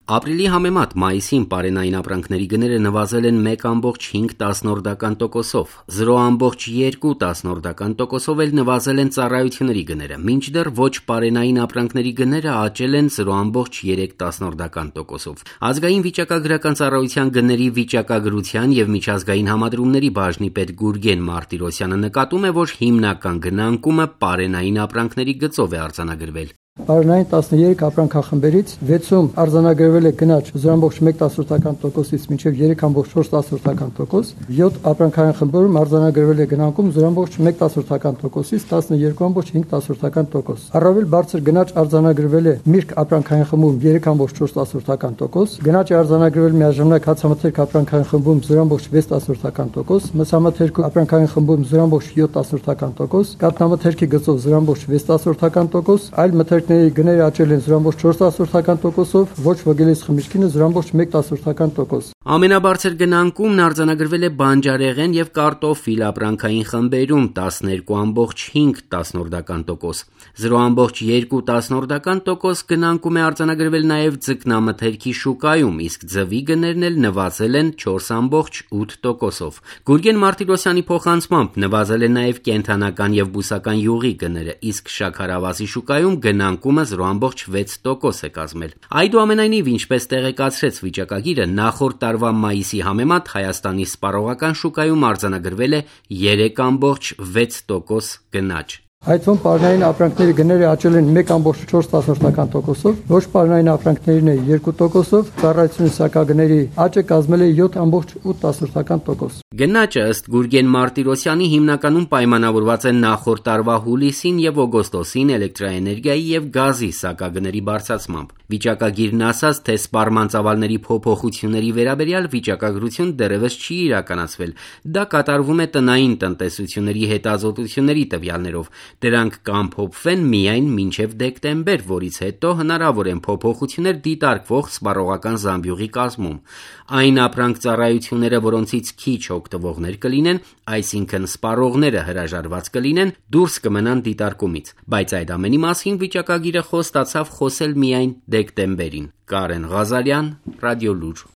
Ապրիլի համեմատ մայիսին պարենային ապրանքների գները նվազել են 1,5%-ով, 0,2%-ով էլ նվազել են ծառայությունների գները, մինչդեռ ոչ պարենային ապրանքների գները աճել են 0,3%-ով։ Ազգային վիճակագրական ծառայության գների վիճակագրության եւ միջազգային համադրումների բաժնի պետ Գուրգեն Մարտիրոսյանը նկատում է, որ հիմնական գնանկումը պարենային ապրանքների գծով է արձանագրվել։ Պարենային 13 ապրանքախմբերից 6-ում արձանագրվել է գնաճ 0,1%-ից մինչև 3,4%, 7 ապրանքային խմբերում արձանագրվել է գնանկում 0,1%-ից 12,5%։ Առավել բարձր գնաճ արձանագրվել է միրգ ապրանքային խմբում 3,4%, գնաճ է արձանագրվել միաժամանակ հացամթերք ապրանքային խմբում 0,6%, մսամթերք ապրանքային խմբում 0,7%, կաթնամթերքի գծով 0,6%, այլ մթերք գները աճել են 0,4%-ով, ոչ ոգելից խմիչքինը 0,1%։ Ամենաբարձր գնանկումն արձանագրվել է բանջարեղեն եւ կարտոֆիլ ապրանքային խմբերում 12,5%, 0,2% գնանկում է արձանագրվել նաեւ ձկնամթերքի շուկայում, իսկ ձվի գներն էլ նվազել են 4,8%-ով։ Գուրգեն Մարտիրոսյանի փոխանցմամբ նվազել են նաեւ կենդանական եւ բուսական յուղի գները, իսկ շաքարավազի շուկայում գնանկումը 0,6% է կազմել։ Այդուամենայնիվ, ինչպես տեղեկացրեց վիճակագիրը, նախորդ տարվա մայիսի համեմատ Հայաստանի սպառողական շուկայում արձանագրվել է 3,6% գնաճ։ Այդ թվում պարենային ապրանքների գները աճել են 1,4%-ով, ոչ պարենային ապրանքներինը 2%-ով, ծառայությունների սակագների աճը կազմել է 7,8%։ Գնաճը ըստ Գուրգեն Մարտիրոսյանի հիմնականում պայմանավորված է նախորդ տարվա հուլիսին եւ օգոստոսին էլեկտրաէներգիայի եւ գազի սակագների բարձրացմամբ։ Վիճակագիրն ասաց, թե սպառման ծավալների փոփոխությունների վերաբերյալ վիճակագրություն դեռևս չի իրականացվել։ Դա կատարվում է տնային տնտեսությունների հետազոտությունների տվյալներով։ Դրանք կամփոփվեն միայն մինչև դեկտեմբեր, որից հետո հնարավոր են փոփոխություններ դիտարկվող սպառողական զամբյուղի կազմում։ Այն ապրանք ծառայությունները, որոնցից քիչ օգտվողներ կլինեն, այսինքն սպառողները հրաժարված կլինեն, դուրս կմնան դիտարկումից։ Բայց այդ ամենի մասին վիճակագիրը խոստացավ խոսել միայն դեկտեմբերին։ Կարեն Ղազարյան, Ռադիոլուր։